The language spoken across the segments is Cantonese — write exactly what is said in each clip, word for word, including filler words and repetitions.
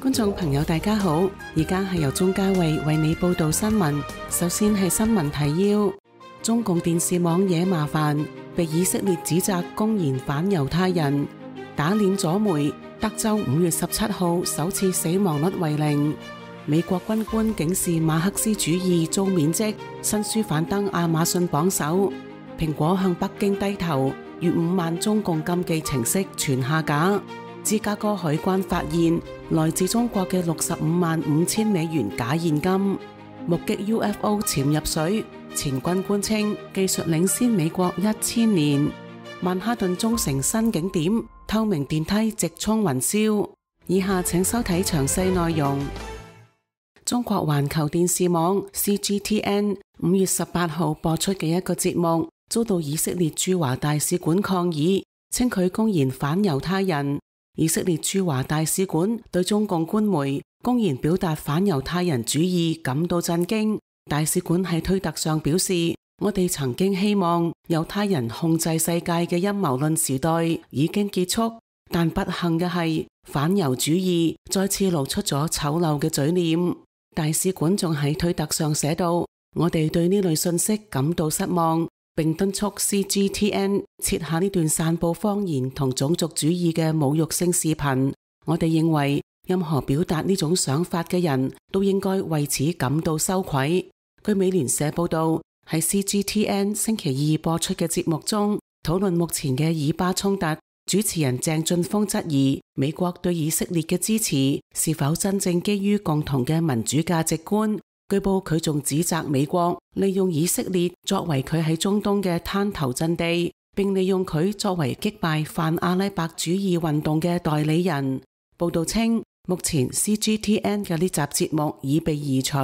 觀眾朋友大家好，而家係由鍾嘉慧為你報道新聞。首先係新聞提要：中共電視網惹麻煩，被以色列指責公然反猶太人，打臉左媒。德州五月十七號首次死亡率為零。美國軍官警示馬克思主義遭免職，新書反登亞馬遜榜首。蘋果向北京低頭，逾五萬中共禁忌程式全下架。芝加哥海關發現來自中國嘅六十五萬五千美元假現金。目擊 U F O 潛入水，前軍官稱技術領先美國一千年。曼哈頓中城新景點，透明電梯直衝雲霄。以下請收睇詳細內容。中國環球電視網 C G T N 五月十八號播出嘅一個節目，遭到以色列駐華大使館抗議，稱佢公然反猶太人。以色列駐華大使館對中共官媒公然表達反猶太人主義感到震驚。大使館喺推特上表示：我哋曾經希望猶太人控制世界嘅陰謀論時代已經結束，但不幸嘅係反猶主義再次露出咗醜陋嘅嘴臉。大使館仲喺推特上寫道：我哋對呢類信息感到失望，並敦促 C G T N 撤下呢段散布謊言同種族主義嘅侮辱性視頻。我哋認為任何表達呢種想法嘅人都應該為此感到羞愧。據美聯社報道，喺 C G T N 星期二播出嘅節目中，討論目前嘅以巴衝突。主持人鄭俊峰質疑美國對以色列嘅支持是否真正基於共同嘅民主價值觀。據報佢仲指責美國利用以色列作為佢喺中東嘅灘頭陣地，並利用佢作為擊敗泛阿拉伯主義運動嘅代理人。報道稱，目前 C G T N 嘅呢集節目已被移除。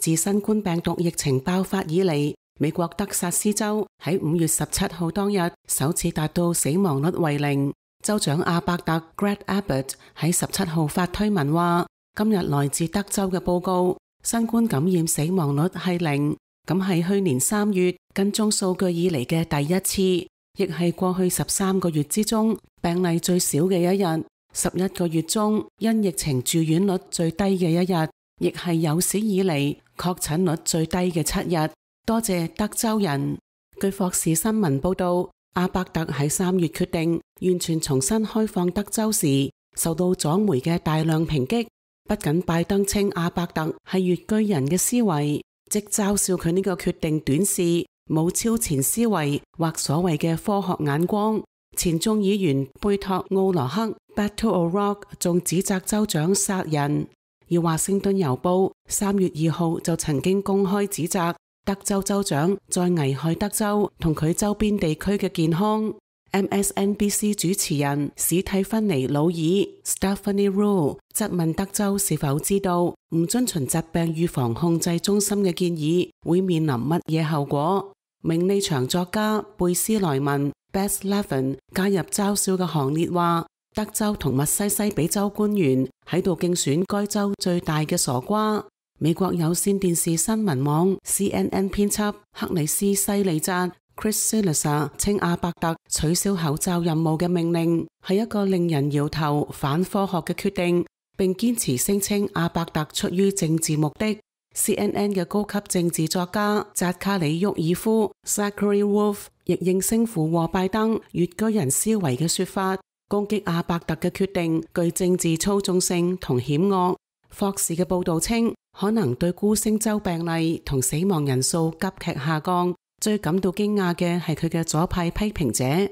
自新冠病毒疫情爆發以嚟，美國德薩斯州喺五月十七號當日首次達到死亡率為零。州長阿伯特 Greg Abbott 喺十七號發推文話：今日來自德州嘅報告，新冠感染死亡率係零，咁係去年三月跟蹤數據以嚟嘅第一次，亦係過去十三個月之中病例最少嘅一日，十一個月中因疫情住院率最低嘅一日，亦係有史以嚟確診率最低嘅七日。多謝德州人。據霍士新聞報道，阿伯特喺三月決定完全重新開放德州時，受到左媒嘅大量抨擊。不僅拜登稱阿伯特係越巨人嘅思維，即嘲笑佢呢個決定短視、冇超前思維或所謂嘅科學眼光。前眾議員貝托奧羅克 Beto O'Rourke 仲指責州長殺人。而華盛頓郵報三月二號就曾經公開指責德州州長在危害德州同佢周邊地區嘅健康。M S N B C 主持人史蒂芬妮魯爾 Stephanie Rule 質問德州是否知道唔遵循疾病預防控制中心嘅建議會面臨乜嘢後果。名利場作家貝斯萊文 Bess Levin 加入嘲笑嘅行列，話德州同密西西比州官員喺度競選該州最大嘅傻瓜。美國有線電視新聞網 C N N 編輯克里斯西利扎 Chris Silica 稱阿伯特取消口罩任務嘅命令係一個令人搖頭反科學嘅決定，並堅持聲稱阿伯特出於政治目的。C N N 嘅高級政治作家扎卡里沃爾夫 Zachary Wolf 亦應聲附和拜登越居人思維嘅說法，攻擊阿伯特嘅決定具政治操縱性同險惡。霍士嘅報道稱，可能對孤星州病例同死亡人數急劇下降，最感到驚訝嘅係佢嘅左派批評者。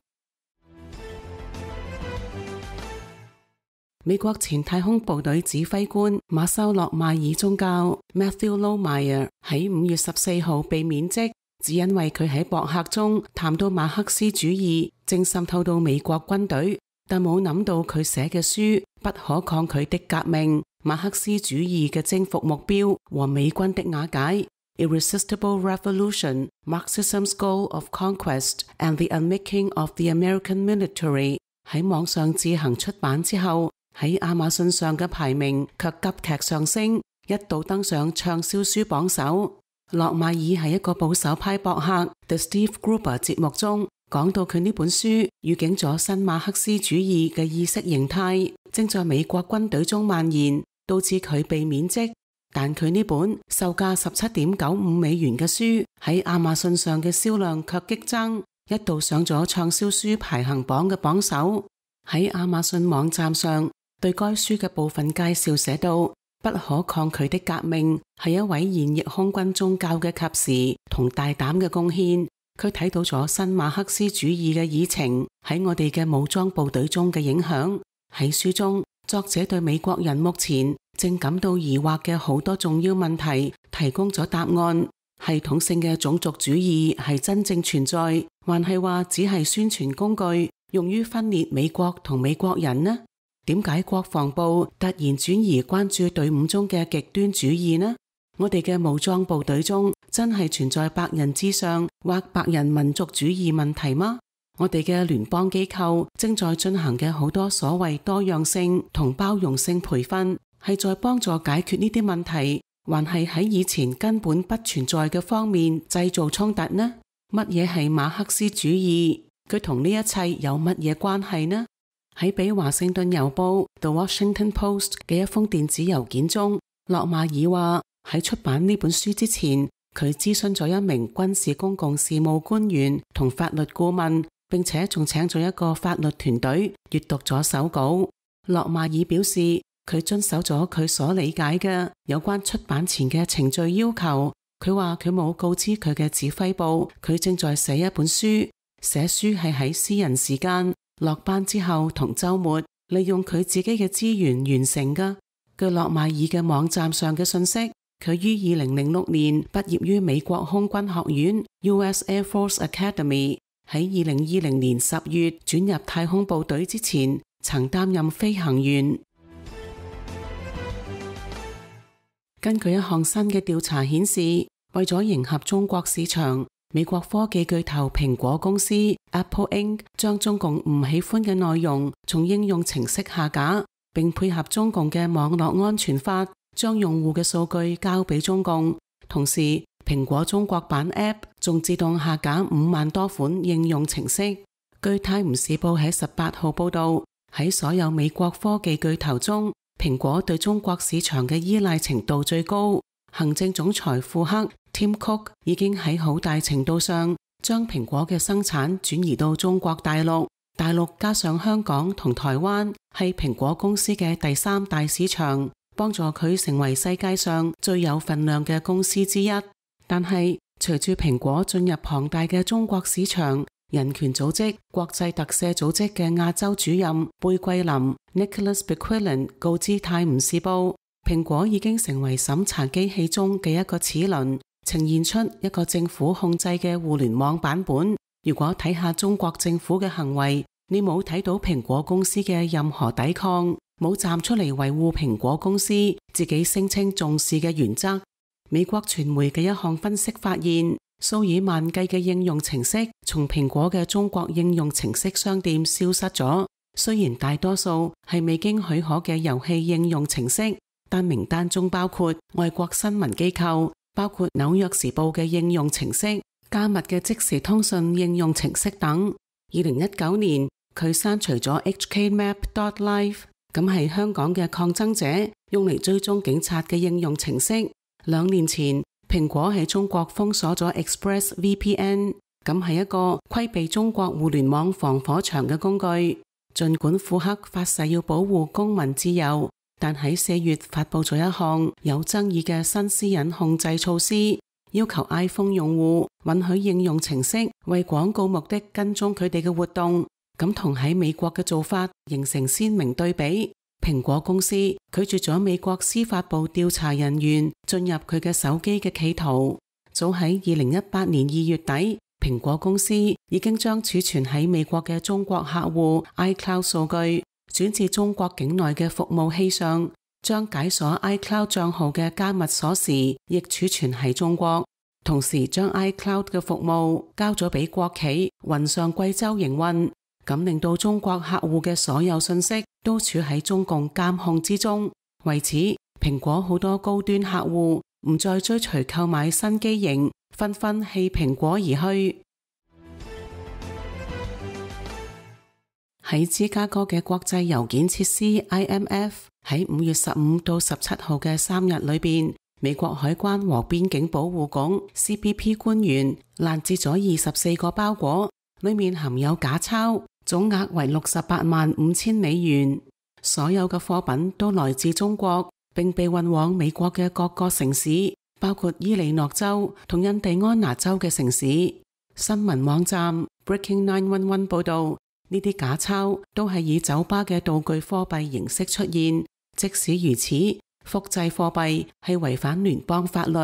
美國前太空部隊指揮官馬修洛邁爾宗教 Matthew Lohmeyer 喺五月十四號被免職，只因為佢喺博客中談到馬克思主義正滲透到美國軍隊，但冇諗到佢寫嘅書《不可抗拒的革命》、馬克思主義嘅征服目標和美軍的瓦解 Irresistible Revolution, Marxism's Goal of Conquest and the Unmaking of the American Military 喺網上自行出版之後，喺亞馬遜上嘅排名卻急劇上升，一度登上暢銷書榜首。洛邁爾喺一個保守派博客 The Steve Gruber 節目中講到佢呢本書預警咗新馬克思主義嘅意識形態正在美國軍隊中蔓延，導致佢被免職。但佢呢本售價十七點九五美元嘅書喺亞馬遜上嘅銷量卻激增，一度上咗暢銷書排行榜嘅榜首。喺亞馬遜網站上，對該書嘅部分介紹寫到，不可抗拒的革命係一位現役空軍中校嘅及時同大膽嘅貢獻。佢睇到咗新馬克思主義嘅議程喺我哋嘅武裝部隊中嘅影響。喺書中，作者對美國人目前正感到疑惑嘅好多重要問題提供咗答案。系統性嘅種族主義係真正存在，還係話只係宣傳工具，用於分裂美國同美國人呢？點解國防部突然轉移關注隊伍中嘅極端主義呢？我哋嘅武裝部隊中真係存在白人至上或白人民族主義問題嗎？我哋嘅聯邦機構正在進行嘅好多所謂多樣性同包容性培訓，係在幫助解決呢啲問題，還係喺以前根本不存在嘅方面製造衝突呢？乜嘢係馬克思主義？佢同呢一切有乜嘢關係呢？喺俾華盛頓郵報 The Washington Post 嘅一封電子郵件中，洛馬爾話喺出版呢本書之前，佢諮詢咗一名軍事公共事務官員同法律顧問，並且仲請咗一個法律團隊閱讀咗手稿。洛馬爾表示，佢遵守咗佢所理解嘅有關出版前嘅程序要求。佢話佢冇告知佢嘅指揮部，佢正在寫一本書。寫書係喺私人時間、落班之後同週末，利用佢自己嘅資源完成㗎。據洛馬爾嘅網站上嘅信息，佢於二零零六年畢業於美國空軍學院 U S Air Force Academy，喺二零二零年十月轉入太空部隊之前，曾擔任飛行員。根據一項新嘅調查顯示，為咗迎合中國市場，美國科技巨頭蘋果公司 Apple Incorporated 將中共唔喜歡嘅內容從應用程式下架，並配合中共嘅網絡安全法，將用戶嘅數據交俾中共。同時，蘋果中國版 App 仲自動下架五萬多款應用程式。據泰晤士報喺十八號報道，喺所有美國科技巨頭中，蘋果對中國市場嘅依賴程度最高。行政總裁庫克 Tim Cook 已經喺好大程度上將蘋果嘅生產轉移到中國大陸。大陸加上香港同台灣係蘋果公司嘅第三大市場，幫助佢成為世界上最有份量嘅公司之一。但係隨住蘋果進入龐大嘅中國市場，人權組織國際特赦組織嘅亞洲主任貝桂林 Nicholas Bequelin 告知泰晤士報，蘋果已經成為審查機器中嘅一個齒輪，呈現出一個政府控制嘅互聯網版本。如果睇下中國政府嘅行為，你冇睇到蘋果公司嘅任何抵抗，冇站出嚟維護蘋果公司自己聲稱重視嘅原則。美國傳媒嘅一項分析發現，數以萬計嘅應用程式從蘋果嘅中國應用程式商店消失咗。雖然大多數係未經許可嘅遊戲應用程式，但名單中包括外國新聞機構，包括紐約時報嘅應用程式、加密嘅即時通訊應用程式等。二零一九年，佢刪除咗 H K Map dot live， 咁係香港嘅抗爭者用嚟追蹤警察嘅應用程式。兩年前，蘋果喺中國封鎖咗 Express V P N， 咁係一個規避中國互聯網防火牆嘅工具。儘管庫克發誓要保護公民自由，但喺四月發佈咗一項有爭議嘅新私隱控制措施，要求 iPhone 用戶允許應用程式為廣告目的跟蹤佢哋嘅活動。咁同喺美國嘅做法形成鮮明對比。蘋果公司拒絕咗美國司法部調查人員進入佢嘅手機嘅企圖。早喺二零一八年二月底，蘋果公司已經將儲存喺美國嘅中國客戶 iCloud 數據轉至中國境內嘅服務器上，將解鎖 iCloud 賬號嘅加密鎖匙亦儲存喺中國，同時將 iCloud 嘅服務交咗俾國企雲上貴州營運。咁令到中國客戶嘅所有信息都處喺中共監控之中。為此，蘋果好多高端客戶唔再追隨購買新機型，紛紛棄蘋果而去。喺芝加哥嘅國際郵件設施 I M F 喺五月十五到十七號嘅三日裏邊，美國海關和邊境保護局 C B P 官員攔截咗二十四個包裹，裏面含有假鈔，總額為六十八萬五千美元。所有嘅貨品都來自中國，並被運往美國嘅各個城市，包括伊利諾州同印第安納州嘅城市。新聞網站 Breaking nine one one 報道，呢啲假鈔都係以酒吧嘅道具貨幣形式出現。即使如此，複製貨幣係違反聯邦法律，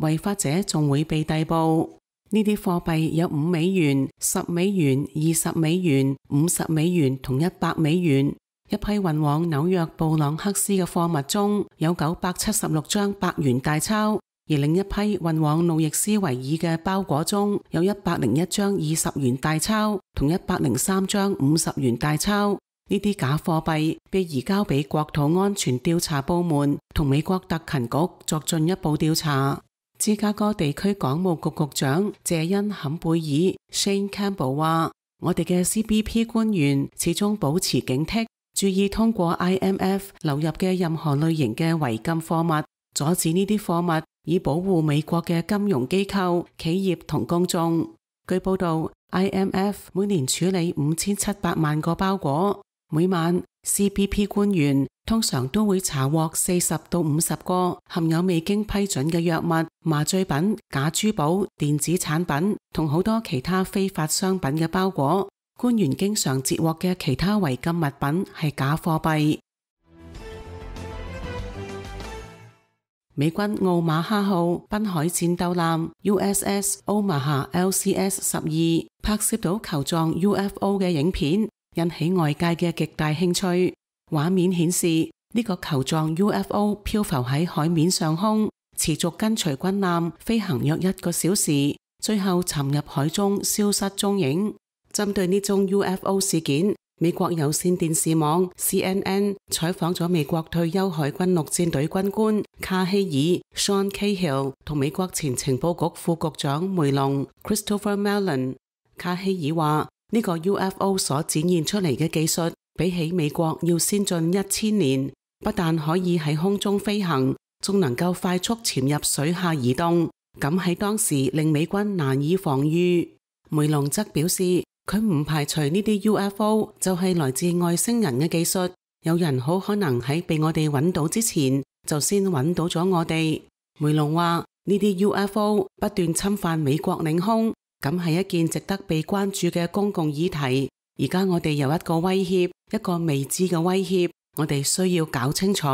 違法者仲會被逮捕。呢啲貨幣有五美元、十美元、二十美元、五十美元同一百美元。一批運往紐約布朗克斯嘅貨物中有九百七十六張百元大鈔，而另一批運往路易斯維爾嘅包裹中有一百零一張二十元大鈔同一百零三張五十元大鈔。呢啲假貨幣被移交俾國土安全調查部門同美國特勤局作進一步調查。芝加哥地區港務局局長謝恩坎貝爾 Shane Campbell 話：我哋嘅 C B P 官員始終保持警惕，注意通過 I M F 流入嘅任何類型嘅違禁貨物，阻止呢啲貨物，以保護美國嘅金融機構、企業同公眾。據報道 ，I M F 每年處理五千七百萬個包裹，每晚 C B P 官員通常都會查獲四十到五十個含有未經批准嘅藥物、麻醉品、假珠寶、電子產品同好多其他非法商品嘅包裹。官員經常截獲嘅其他違禁物品係假貨幣。美軍奧馬哈號濱海戰鬥艦 U S S Omaha L C S 十二拍攝到球狀 U F O 嘅影片，引起外界嘅極大興趣。畫面顯示呢個球狀 U F O 漂浮喺海面上空，持續跟隨軍艦飛行約一個小時，最後沉入海中消失蹤影。針對呢宗 U F O 事件，美國有線電視網 C N N 採訪咗美國退休海軍陸戰隊軍官卡希爾 Sean Cahill 同美國前情報局副局長梅隆 Christopher Mellon。卡希爾話：呢個 U F O 所展現出嚟嘅技術，比起美國要先進一千年，不但可以喺空中飛行，仲能夠快速潛入水下移動，咁喺當時令美軍難以防禦。梅隆則表示，佢唔排除呢啲 U F O 就係來自外星人嘅技術，有人好可能喺被我哋揾到之前就先揾到咗我哋。梅隆話：呢啲 U F O 不斷侵犯美國領空，咁係一件值得被關注嘅公共議題。而家我哋有一個威脅，一個未知嘅威脅，我哋需要搞清楚。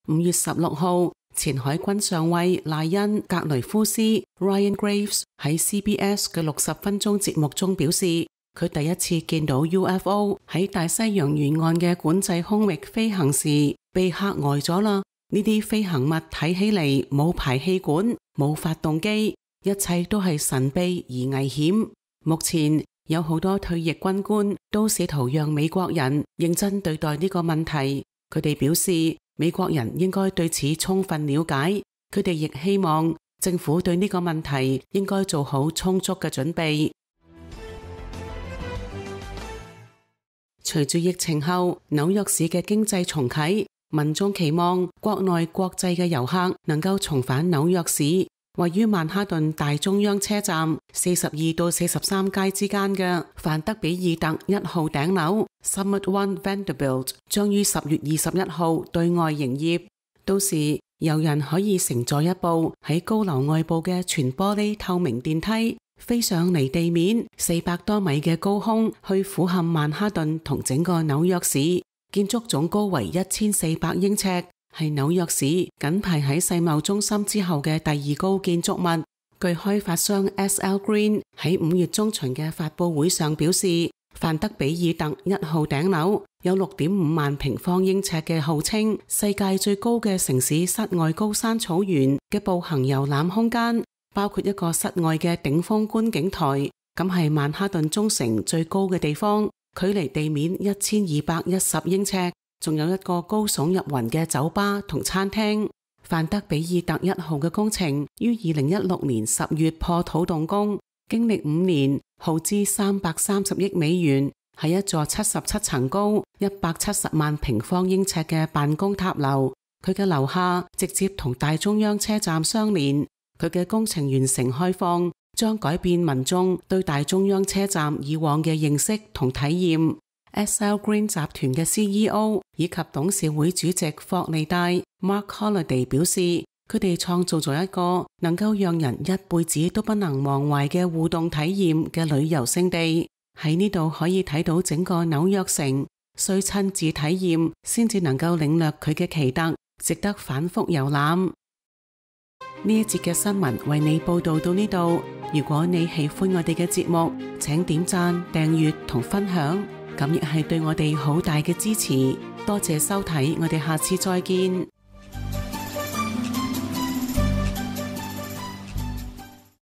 五月十六號，前海軍上尉賴恩格雷夫斯 Ryan Graves 喺 C B S 嘅六十分鐘節目中表示，佢第一次見到 U F O 喺大西洋沿岸嘅管制空域飛行時，被嚇呆咗啦。呢啲飛行物睇起嚟冇排氣管、冇發動機，一切都係神秘而危險。目前有好多退役軍官都試圖讓美國人認真對待呢個問題。佢哋表示，美國人應該對此充分了解。佢哋亦希望政府對呢個問題應該做好充足嘅準備。隨住疫情後紐約市嘅經濟重啟，民眾期望國內國際嘅遊客能夠重返紐約市。位於曼哈頓大中央車站四十二到四十三街之間嘅范德比爾特一號頂樓 Summit One Vanderbilt 將於十月二十一號對外營業。到時遊人可以乘坐一部喺高樓外部嘅全玻璃透明電梯，飛上離地面四百多米嘅高空，去俯瞰曼哈頓同整個紐約市。建築總高為一千四百英尺，係紐約市緊排喺世貿中心之後嘅第二高建築物。據開發商 S L Green 喺五月中旬嘅發佈會上表示，范德比爾特一號頂樓有六點五萬平方英尺嘅號稱世界最高嘅城市室外高山草原嘅步行遊覽空間，包括一個室外嘅頂峰觀景台，咁係曼哈頓中城最高嘅地方，距離地面一千二百一十英尺，仲有一個高聳入雲嘅酒吧同餐廳。范德比爾特一號嘅工程於二零一六年十月破土動工，經歷五年，耗資三百三十億美元，係一座七十七層高、一百七十萬平方英尺嘅辦公塔樓。佢嘅樓下直接同大中央車站相連。佢嘅工程完成開放，將改變民眾對大中央車站以往嘅認識同體驗。S L Green 集團嘅 C E O 以及董事會主席霍利戴 Mark Holiday 表示，佢哋創造咗一個能夠讓人一輩子都不能忘懷嘅互動體驗嘅旅遊勝地。喺呢度可以睇到整個紐約城，需親自體驗先至能夠領略佢嘅奇特，值得反覆遊覽。呢一節嘅新聞為你報道到呢度。如果你喜歡我哋嘅節目，請點讚、訂閱同分享，咁亦係對我哋好大嘅支持。多謝收睇，我哋下次再見。